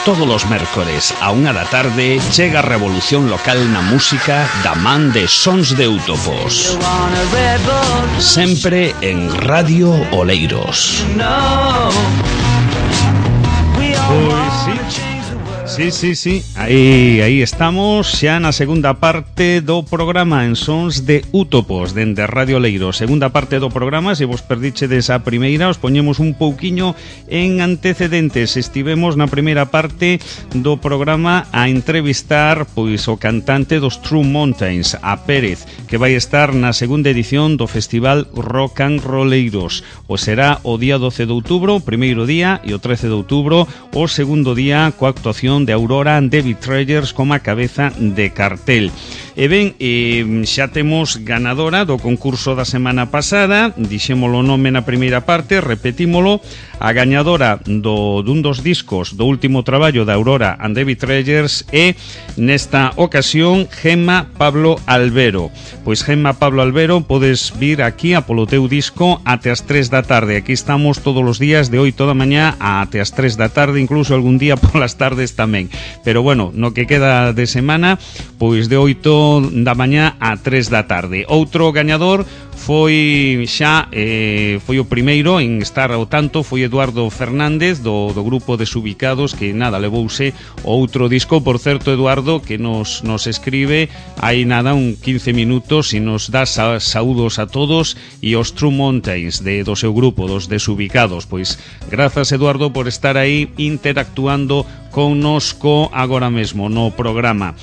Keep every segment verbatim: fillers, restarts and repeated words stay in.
Todos os mércores a unha da tarde chega a revolución local na música da man de Sons de Útopos. Sempre en Radio Oleiros. Pois sí. Sí, sí, sí, aí, aí estamos xa na segunda parte do programa en Sons de Útopos dende Radio Leiro. Segunda parte do programa, se vos perdichedes a primeira, os poñemos un pouquiño en antecedentes. Estivemos na primeira parte do programa a entrevistar pois o cantante dos True Mountains, a Pérez, que vai estar na segunda edición do Festival Rock and Rolleiros. O será o día doce de outubro, o primeiro día, e o trece de outubro, o segundo día, coa actuación de Aurora and the Betrayers como a cabeza de cartel. E ben, eh, xa temos ganadora do concurso da semana pasada, dixémolo o nome na primeira parte, repetímolo, a gañadora do, dun dos discos do último traballo da Aurora and the Betrayers é, nesta ocasión, Gemma Pablo Albero. Pois Gemma Pablo Albero, podes vir aquí a polo teu disco até as tres da tarde. Aquí estamos todos os días de oito da mañá até as tres da tarde, incluso algún día polas tardes tamén. Pero bueno, no que queda de semana, pois de oito da mañá a tres da tarde. Outro gañador foi xa eh, foi o primeiro en estar ao tanto, foi Eduardo Fernández do, do grupo Desubicados, que nada, levouse outro disco. Por certo, Eduardo, que nos, nos escribe hai nada un quince minutos e nos dá sa, saúdos a todos e os True Mountains de, do seu grupo, dos Desubicados. Pois grazas, Eduardo, por estar aí interactuando connosco agora mesmo no programa.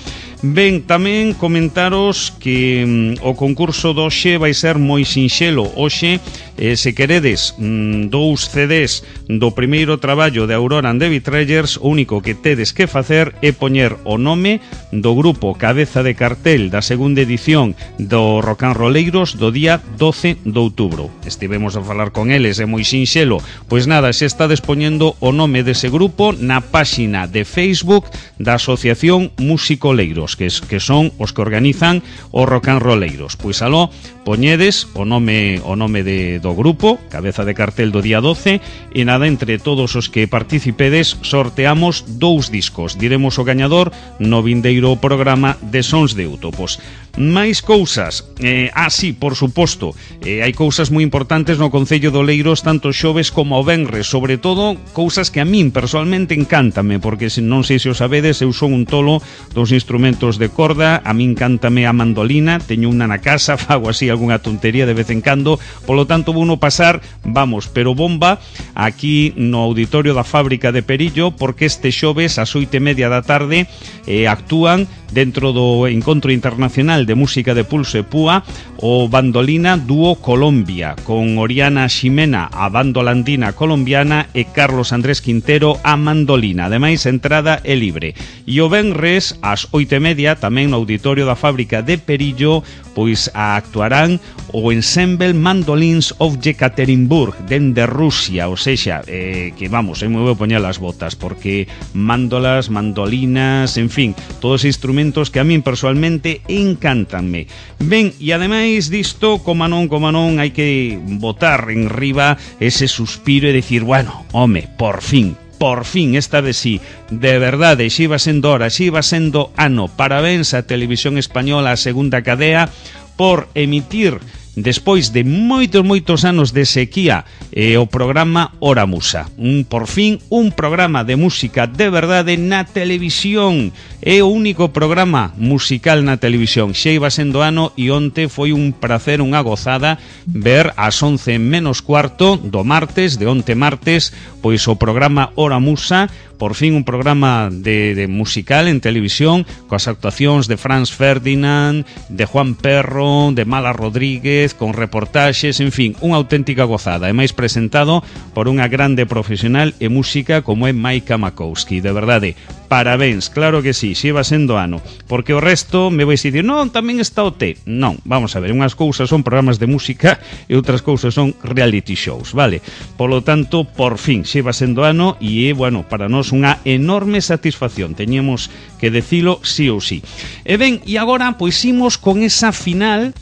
Ben, tamén comentaros que mm, o concurso do Oxe vai ser moi sinxelo. Oxe, eh, se queredes mm, dous C Ds do primeiro traballo de Aurora and the Betrayers, o único que tedes que facer é poñer o nome do grupo cabeza de cartel da segunda edición do Rock and Rolleiros do día doce de outubro. Estivemos a falar con eles, é moi sinxelo. Pois nada, se estades poñendo o nome dese grupo na páxina de Facebook da Asociación Musicoleiros, que, es, que son os que organizan o Rock and Rolleiros. Pois aló, poñedes o nome o nome de, do grupo, cabeza de cartel do día doce, e nada, entre todos os que participedes sorteamos dous discos. Diremos o gañador no vindeiro programa de Sons de Útopos. Máis cousas, eh, ah, sí, por suposto, eh, hai cousas moi importantes no Concello de Oleiros, tanto xoves como o venres, sobre todo cousas que a min personalmente encántame, porque se non sei se o sabedes, eu son un tolo dos instrumentos de corda. A min encántame a mandolina, teño unha na casa, fago así algunha tontería de vez en cando, polo tanto vou no pasar, vamos, pero bomba, aquí no auditorio da Fábrica de Perillo, porque este xoves ás oito e media da tarde eh, actúan dentro do Encontro Internacional de Música de Pulso e Púa o Bandolina Dúo Colombia, con Oriana Ximena a bandolandina colombiana e Carlos Andrés Quintero a mandolina. Ademais, a entrada é libre. E o venres ás oito e media, tamén no auditorio da Fábrica de Perillo, pois actuarán o Ensemble Mandolins of Yekaterinburg dende Rusia, ou sexa, eh, que vamos, eu me vou poñer as botas, porque mándolas, mandolinas, en fin, todos os instrumentos que a min personalmente encántanme. Ben, e ademais disto, como non, como non, hai que botar en riba ese suspiro e decir, bueno, home, por fin, por fin, esta vez sí, de verdade, xe iba sendo hora, xe iba sendo ano. Parabéns a Televisión Española, a segunda cadea, por emitir, despois de moitos, moitos anos de sequía, eh, o programa Hora Musa. Un, por fin, un programa de música de verdade na televisión. É o único programa musical na televisión. Xa iba sendo ano e onte foi un prazer, unha gozada, ver ás once menos cuarto do martes, de onte martes, pois o programa Hora Musa, por fin un programa de, de musical en televisión, coas actuacións de Franz Ferdinand, de Juan Perro, de Mala Rodríguez, con reportaxes, en fin, unha auténtica gozada. E máis presentado por unha grande profesional e música como é Maika Makowski. De verdade, parabéns, claro que sí, xe va sendo ano. Porque o resto me vais dicir, non, tamén está o T. Non, vamos a ver, unhas cousas son programas de música e outras cousas son reality shows, vale? Polo tanto, por fin, xe va sendo ano e é, bueno, para nós unha enorme satisfacción. Teñemos que decilo sí ou sí. E ben, e agora, pois imos con esa final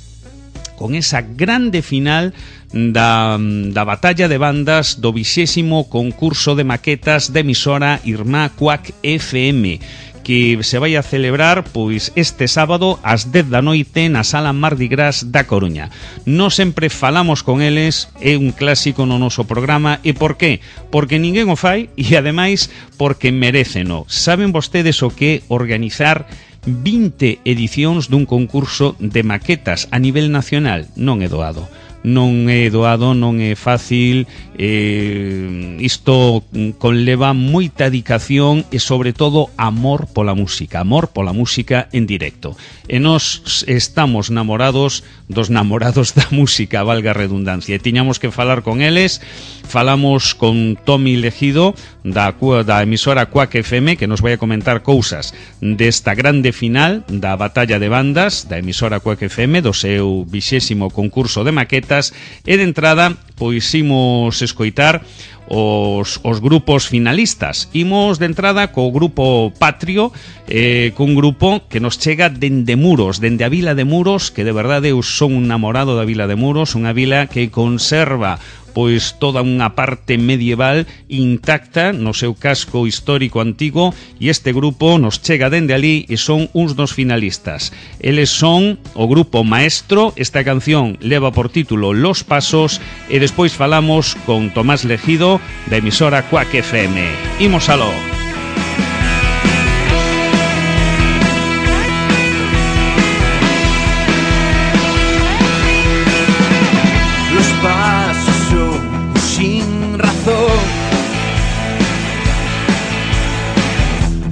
con esa grande final da, da batalla de bandas do vixésimo concurso de maquetas de emisora Irmá Cuac F M, que se vai a celebrar pois este sábado ás dez da noite na Sala Mardi Gras da Coruña. Nós sempre falamos con eles, é un clásico no noso programa. E por qué? Porque ninguén o fai e ademais porque meréceno. Saben vostedes o que organizar vinte edicións dun concurso de maquetas a nivel nacional? Non é doado. Non é doado, non é fácil, eh, isto conleva moita dedicación e sobre todo amor pola música, amor pola música en directo. E nós estamos namorados dos namorados da música, valga a redundancia, e tiñamos que falar con eles. Falamos con Tomi Legido da, da emisora Cuac F M, que nos vai a comentar cousas desta grande final da batalla de bandas da emisora Cuac F M, do seu vixésimo concurso de maquetas. E de entrada, pois imos escoitar os, os grupos finalistas. Imos de entrada co grupo Patrio, eh, cun grupo que nos chega dende Muros, dende a vila de Muros, que de verdade eu son un namorado da vila de Muros, unha vila que conserva pois toda unha parte medieval intacta no seu casco histórico antigo, e este grupo nos chega dende ali e son uns dos finalistas. Eles son o grupo Maestro, esta canción leva por título Los Pasos, e despois falamos con Tomás Legido da emisora Cuac F M. Imos aló.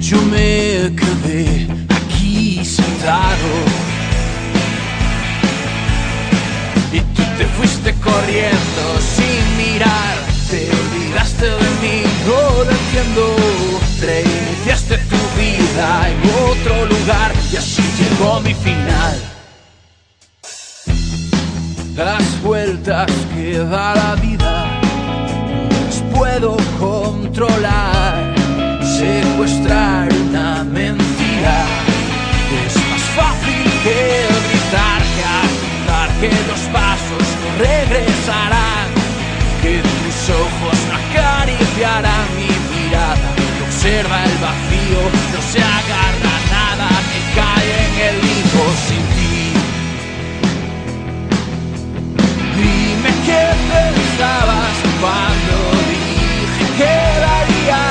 Yo me quedé aquí sentado y tú te fuiste corriendo sin mirar. Te olvidaste de mí, no lo entiendo. Reiniciaste tu vida en otro lugar y así llegó mi final. Las vueltas que da la vida las puedo controlar. Secuestrar una mentira es más fácil que gritar, que aceptar que los pasos no regresarán, que tus ojos no acariciarán mi mirada, que observa el vacío, no se agarra a nada, que cae en el limbo sin ti. Dime qué pensabas cuando dije que daría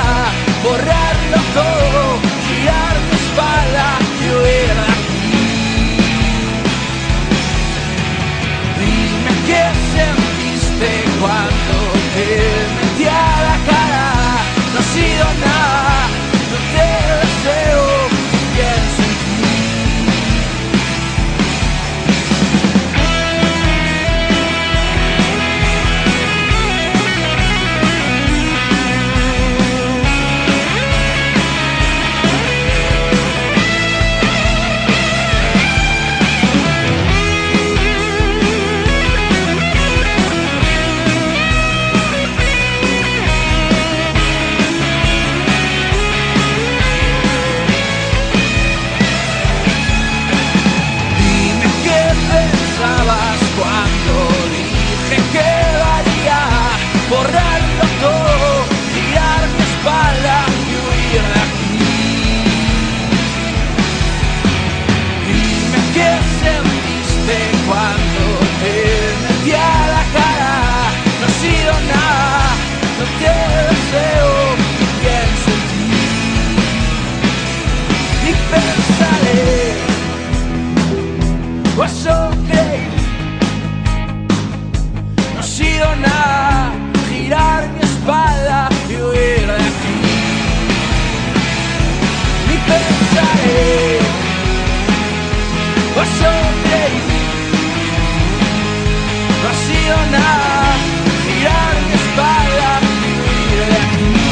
borrarlo todo, girar mi espalda y huir de aquí. Dime qué sentiste cuando te metí a la cara. No ha sido nada, no te deseo, pienso en ti. Borrarlo todo, girar mi espalda y huir de aquí. Dime qué sentiste cuando te metí a la cara. No ha sido nada, no te deseo, pienso en ti. Y pensaré, was okay. No ha sido nada, girar mi espalda y huir de aquí. Y pensaré, was okay. No ha sido nada, girar mi espalda y huir de aquí.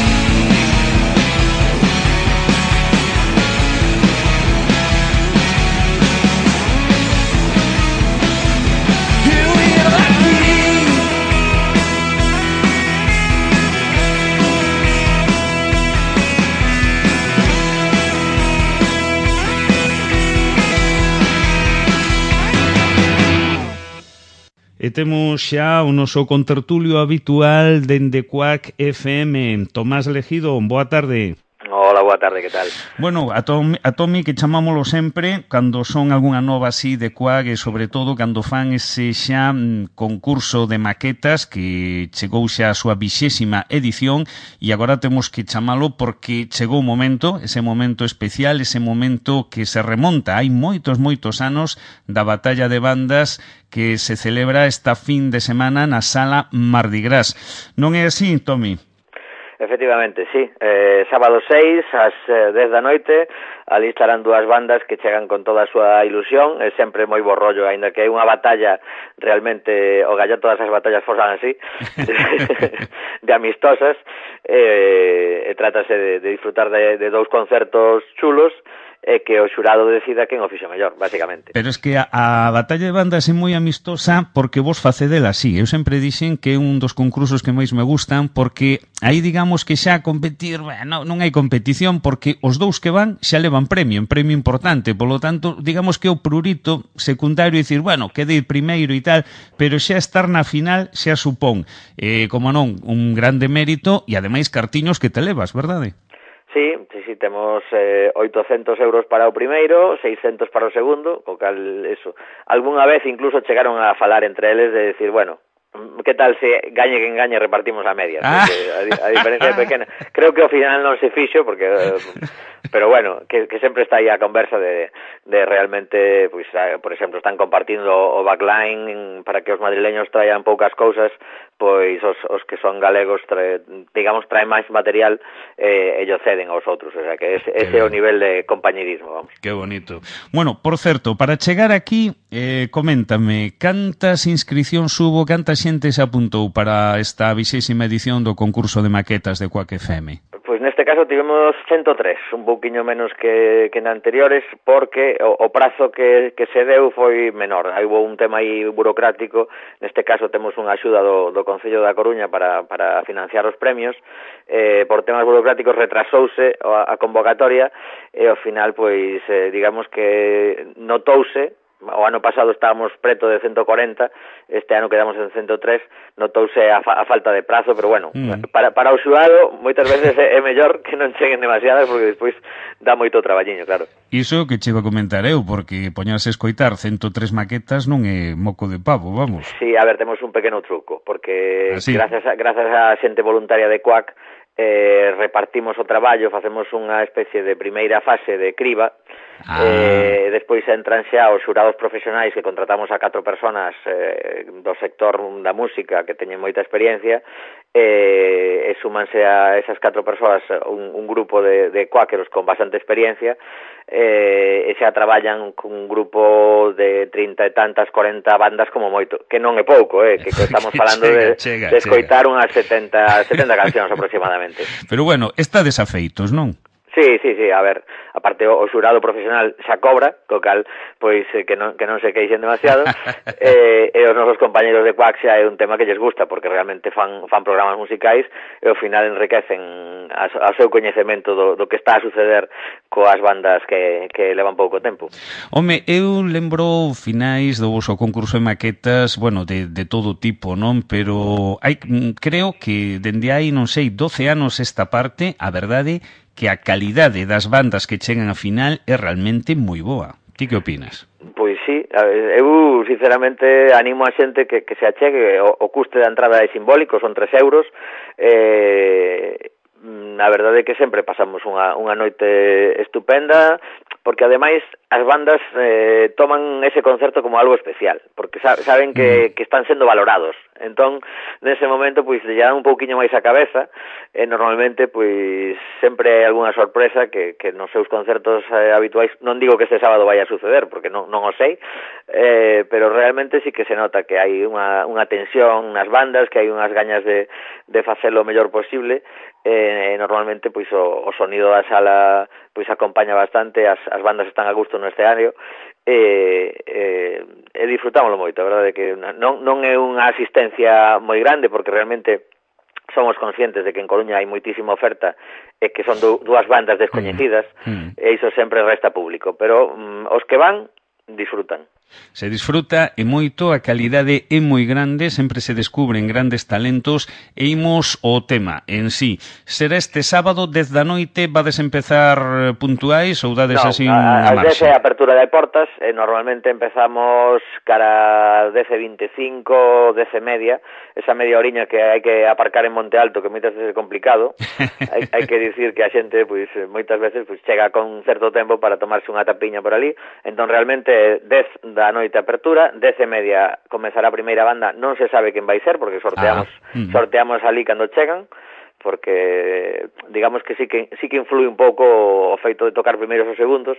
E temos xa o noso contertulio habitual dende Quack F M. Tomás Legido, boa tarde. Hola, boa tarde, que tal? Bueno, a Tomi, a Tomi que chamámolo sempre cando son algunha nova así de Quack e sobre todo cando fan ese xa mm, concurso de maquetas que chegou xa a súa vixésima edición e agora temos que chamalo porque chegou o momento, ese momento especial, ese momento que se remonta hai moitos, moitos anos da batalla de bandas que se celebra esta fin de semana na sala Mardi Gras. Non é así, Tomi? Efectivamente, sí. Eh, sábado seis, ás eh, dez da noite, ali estarán dúas bandas que chegan con toda a súa ilusión, é sempre moi bo rollo, aínda que é unha batalla realmente, o gallo todas as batallas fosan así, de amistosas, eh, e trátase de, de disfrutar de, de dous concertos chulos, e que o xurado decida quen o fixo mellor, basicamente. Pero es que a, a batalla de bandas é moi amistosa porque vos facedela así. Eu sempre dixen que é un dos concursos que máis me gustan porque aí digamos que xa competir, bueno, non hai competición porque os dous que van xa levan premio, un premio importante, polo tanto, digamos que o prurito secundario e dicir, bueno, quede ir primeiro e tal, pero xa estar na final xa supón, eh, como non, un grande mérito e ademais cartiños que te levas, verdade? Sí, sí, sí, temos eh, oitocentos euros para o primeiro, seiscentos para o segundo, co cal, eso, algunha vez incluso chegaron a falar entre eles de decir, bueno, que tal se gañe quen gañe repartimos a medias, ah. porque a, a diferencia é pequena. Creo que ao final non se fixo, porque, eh, pero bueno, que, que sempre está aí a conversa de, de realmente, pues, por exemplo, están compartindo o backline para que os madrileños traian poucas cousas, pois os, os que son galegos, trae, digamos, traen máis material eh, e ellos ceden aos outros, o sea que ese, ese é o nivel de compañerismo, vamos. Que bonito. Bueno, por certo, para chegar aquí, eh, coméntame, cantas inscripcións hubo, cantas xente se apuntou para esta vixésima edición do concurso de maquetas de Quack F M? Pois neste caso tivemos ciento tres, un pouquiño menos que, que na anteriores, porque o, o prazo que, que se deu foi menor. Hai un tema aí burocrático, neste caso temos unha axuda do, do Concello da Coruña para, para financiar os premios, eh, por temas burocráticos retrasouse a, a convocatoria e ao final, pois, eh, digamos que notouse. O ano pasado estábamos preto de ciento cuarenta, este ano quedamos en ciento tres, notouse a, fa, a falta de prazo, pero bueno, mm. para, para o xurado moitas veces é, é mellor que non cheguen demasiadas porque despois dá moito traballiño, claro. Iso que chego a comentar eu, porque poñarse a escoitar ciento tres maquetas non é moco de pavo, vamos. Sí, a ver, temos un pequeno truco, porque Así. gracias a, gracias a xente voluntaria de Quack eh, repartimos o traballo, facemos unha especie de primeira fase de criba, ah. eh, despois entran xa os xurados profesionais que contratamos a catro personas eh, do sector da música que teñen moita experiencia, eh, e súmanse a esas catro persoas un, un grupo de, de quackeros con bastante experiencia, eh, e xa traballan cun grupo de trinta e tantas, cuarenta bandas como moito, que non é pouco, eh, que, que estamos falando chega, de, chega, de escoitar chega. Unhas setenta, setenta cancións aproximadamente. Pero bueno, está desafeitos, non? Sí, sí, sí, a ver, aparte o, o xurado profesional xa cobra, co cal, pois, eh, que non que non se queixen demasiado, eh, e os nosos compañeros de Quack xa é un tema que lles gusta, porque realmente fan, fan programas musicais e ao final enriquecen a, a seu coñecemento do, do que está a suceder coas bandas que, que levan pouco tempo. Home, eu lembro finais do vosso concurso de maquetas, bueno, de, de todo tipo, non? Pero hai, creo que dende hai, non sei, doce anos esta parte, a verdade que a calidade das bandas que chegan a final é realmente moi boa. Ti que opinas? Pois sí, eu sinceramente animo a xente que, que se achegue, o, o custe da entrada é simbólico, son tres euros, eh, a verdade é que sempre pasamos unha, unha noite estupenda, porque ademais as bandas eh, toman ese concerto como algo especial, porque saben que, que están sendo valorados. Entón, nese momento, pois, lle dan un pouquiño máis a cabeza, e normalmente, pois, sempre hai algunha sorpresa que, que nos seus concertos eh, habituais, non digo que este sábado vai a suceder, porque non, non o sei, eh, pero realmente sí que se nota que hai unha, unha tensión nas bandas, que hai unhas gañas de, de facelo o mellor posible, e eh, normalmente, pois, o, o sonido da sala pois acompaña bastante, as, as bandas están a gusto no escenario, e, e, e disfrutámoslo moito, a verdade que non, non é unha asistencia moi grande, porque realmente somos conscientes de que en Coruña hai moitísima oferta e que son dúas bandas descoñecidas, mm. e iso sempre resta público, pero mm, os que van disfrutan. Se disfruta e moito, a calidade é moi grande, sempre se descubren grandes talentos e imos o tema en sí. Será este sábado, dez da noite, vades empezar puntuais ou dades no, así unha a, a marxa? dez é a apertura de portas, e normalmente empezamos cara dez e veinticinco, dez e media, esa media oriña que hai que aparcar en Monte Alto, que moitas veces é complicado. hai, hai que dicir que a xente, pois, moitas veces pois, chega con certo tempo para tomarse unha tapiña por ali, entón realmente dez da noite noite apertura, dez e media comezará a primeira banda, non se sabe quen vai ser, porque sorteamos ah, mm. sorteamos ali cando chegan, porque digamos que sí que sí que influi un pouco o feito de tocar primeiros ou segundos,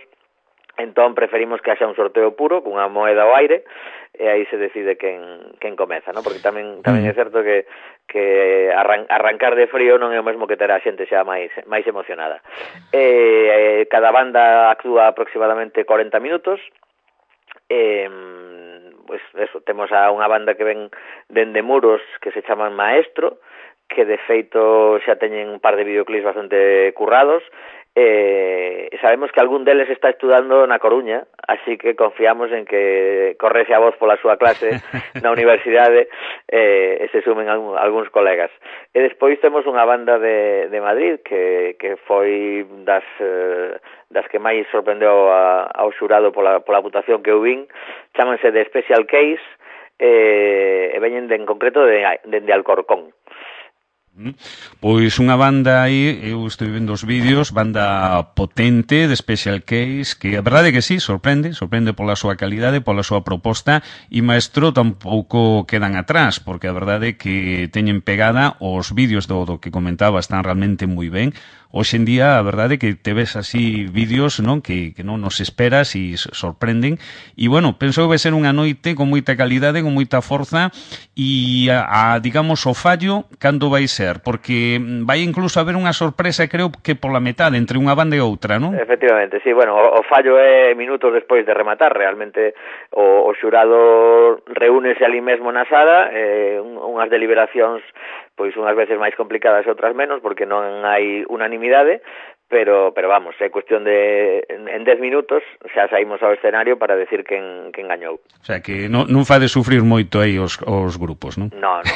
entón preferimos que haxa un sorteo puro, cunha moeda ao aire, e aí se decide quen, quen comeza, ¿no? Porque tamén tamén mm. é certo que, que arran, arrancar de frío non é o mesmo que ter a xente xa máis, máis emocionada. E, cada banda actúa aproximadamente cuarenta minutos, Eh, pues eso, temos a unha banda que ven dende Muros que se chaman Maestro, que de feito xa teñen un par de videoclips bastante currados, eh, e sabemos que algún deles está estudando na Coruña, así que confiamos en que correse a voz pola súa clase na universidade eh, e se sumen algún, algúns colegas. E despois temos unha banda de, de Madrid que, que foi das, eh, das que máis sorprendeu a, ao xurado pola, pola votación que eu vin, chámanse de Special Case, eh, e veñen de, en concreto de, de, de Alcorcón. Pois unha banda aí, eu estou vendo os vídeos, banda potente de Special Case, que a verdade é que sí, sorprende, sorprende pola súa calidade, pola súa proposta, e Maestro tampouco quedan atrás, porque a verdade é que teñen pegada, os vídeos do, do que comentaba están realmente moi ben. Hoxe en día, a verdade é que te ves así vídeos, non, que, que non nos esperas e sorprenden, e bueno, penso que vai ser unha noite con moita calidade, con moita forza, e a, a digamos, o fallo, cando vai ser? Porque vai incluso haber unha sorpresa, creo que pola metade, entre unha banda e outra, non? Efectivamente, sí, bueno, o, o fallo é minutos despois de rematar, realmente o, o xurado reúnese ali mesmo na sala, eh, unhas deliberacións pois unhas veces máis complicadas e outras menos, porque non hai unanimidade, pero pero vamos, é cuestión de en dez minutos xa saímos ao escenario para decir quen, quen gañou. O sea, que non, non fade sufrir moito aí os, os grupos, non? No, no.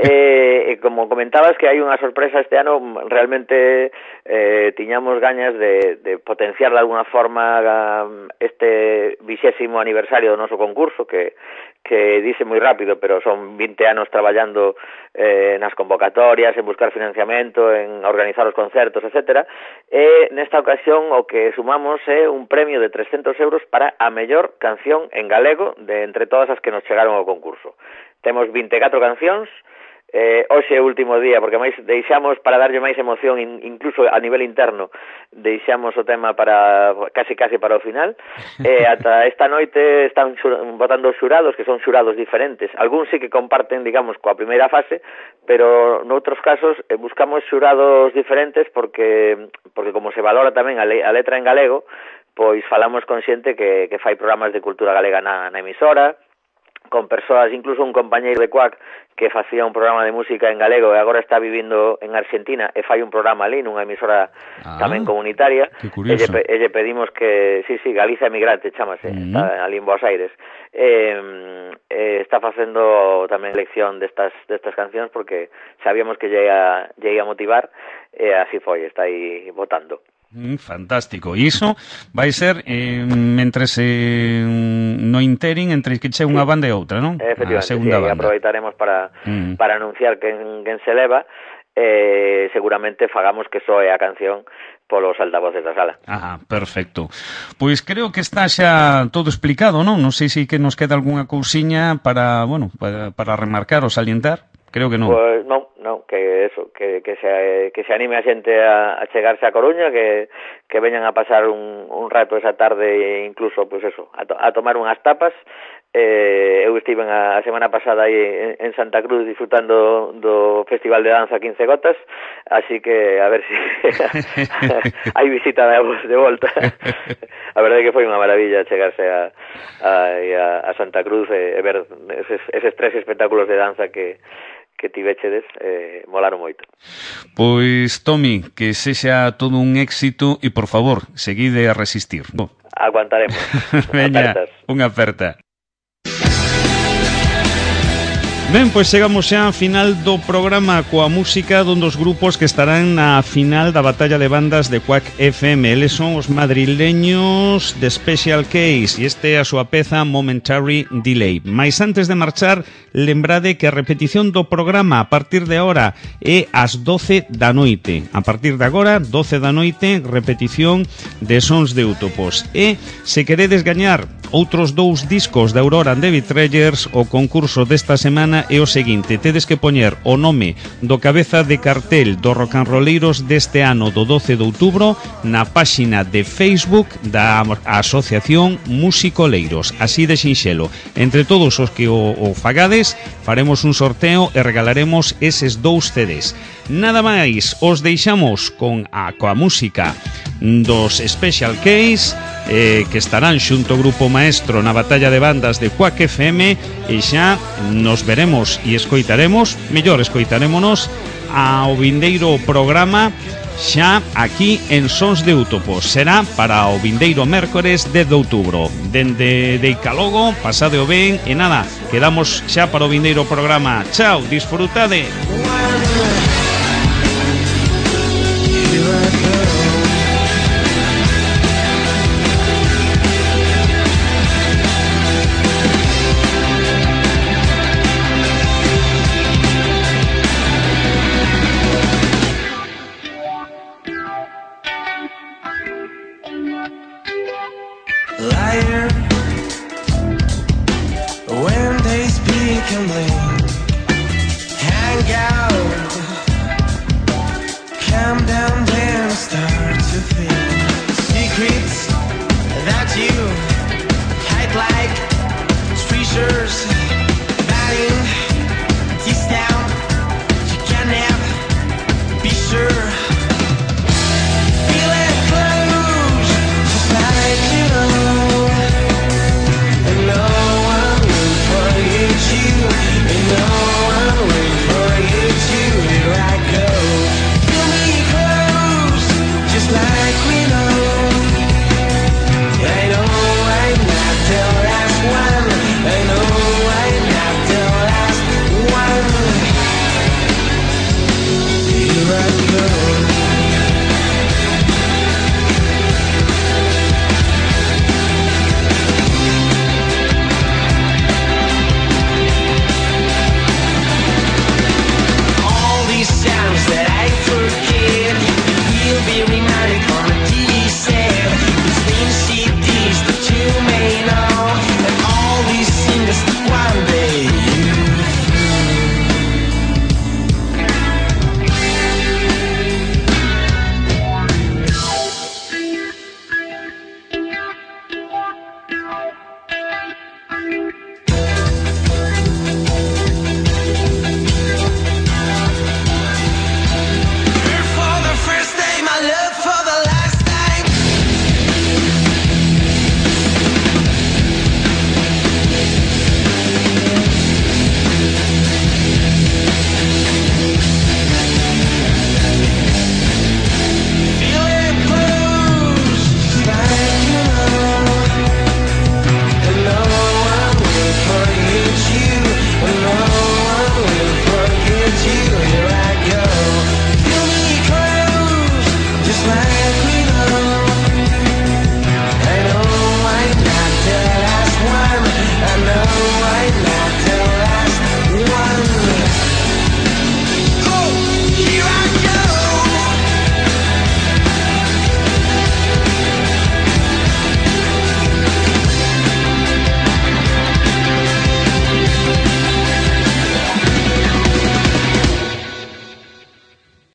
eh, como comentabas que hai unha sorpresa este ano, realmente eh, tiñamos gañas de, de potenciar de alguna forma este vixésimo aniversario do noso concurso, que que dice moi rápido, pero son vinte anos traballando eh, nas convocatorias, en buscar financiamento, en organizar os concertos, etcétera. E nesta ocasión o que sumamos é un premio de trescentos euros para a mellor canción en galego de entre todas as que nos chegaron ao concurso. Temos vinte e catro cancións. Eh, hoxe é o último día, porque máis deixamos para darlle máis emoción, in, incluso a nivel interno, deixamos o tema para casi casi para o final. Eh, ata esta noite están votando os xurados, que son xurados diferentes. Algúns sí que comparten, digamos, coa primeira fase, pero noutros casos eh, buscamos xurados diferentes porque porque como se valora tamén a, le, a letra en galego, pois falamos con xente que, que fai programas de cultura galega na, na emisora, con persoas, incluso un compañeiro de Cuac que facía un programa de música en galego e agora está vivindo en Argentina e fai un programa ali nunha emisora ah, tamén comunitaria. E lle, e lle pedimos que, sí, sí, Galiza Emigrante chamase, uh -huh. Está ali en Buenos Aires. Eh, eh, está facendo tamén lección destas destas cancións porque sabíamos que lle ia, lle ia motivar e así foi, está aí votando. Mm, fantástico. E iso vai ser eh, mentre se no interin entre que che unha banda e outra, non? Efectivamente, sí, banda. Aproveitaremos para mm. para anunciar quen, quen se leva, eh, seguramente fagamos que soe a canción polos altavoces da sala. Ah, perfecto. Pois creo que está xa todo explicado, non? Non sei se que nos queda algunha cousiña para, bueno, para, para remarcar ou salientar. Creo que non. Pois non, non, que eso, que, que, se, que se anime a xente a, a chegarse a Coruña, que, que veñan a pasar un, un rato esa tarde e incluso, pois pues eso, a, to, a tomar unhas tapas. Eh, eu estive a, a semana pasada aí en, en Santa Cruz disfrutando do Festival de Danza quince Gotas, así que a ver se si hai visita de, de volta. A verdade é que foi unha maravilla chegarse a, a, a Santa Cruz e, e ver eses, eses tres espectáculos de danza que que tivechedes, eh, molaron moito. Pois, Tomi, que sexa todo un éxito e, por favor, seguide a resistir. Aguantaremos. Veña, unha aperta. Ben, pois chegamos xa a final do programa coa música dun dos grupos que estarán na final da batalla de bandas de Quack F M. Eles son os madrileños de Special Case e este é a súa peza Momentary Delay. Mais antes de marchar, lembrade que a repetición do programa a partir de agora é ás doce da noite. A partir de agora, doce da noite, repetición de Sons de Útopos. E se queredes gañar outros dous discos da Aurora and the Betrayers, o concurso desta semana é o seguinte: tedes que poñer o nome do cabeza de cartel dos rocanroleiros deste ano do doce de outubro na páxina de Facebook da Asociación Musicoleiros, así de sinxelo. Entre todos os que o, o fagades, faremos un sorteo e regalaremos eses dous C Ds. Nada máis, os deixamos con a coa música dos Special Case, eh, que estarán xunto ao Grupo Maestro na batalla de bandas de Quack F M, e xa nos veremos e escoitaremos, mellor escoitarémonos ao vindeiro programa xa aquí en Sons de Útopos. Será para o vindeiro mércores dez de outubro. Dende de Icalogo, pasade o ben e nada, quedamos xa para o vindeiro programa. Chao, disfrutade. Sure.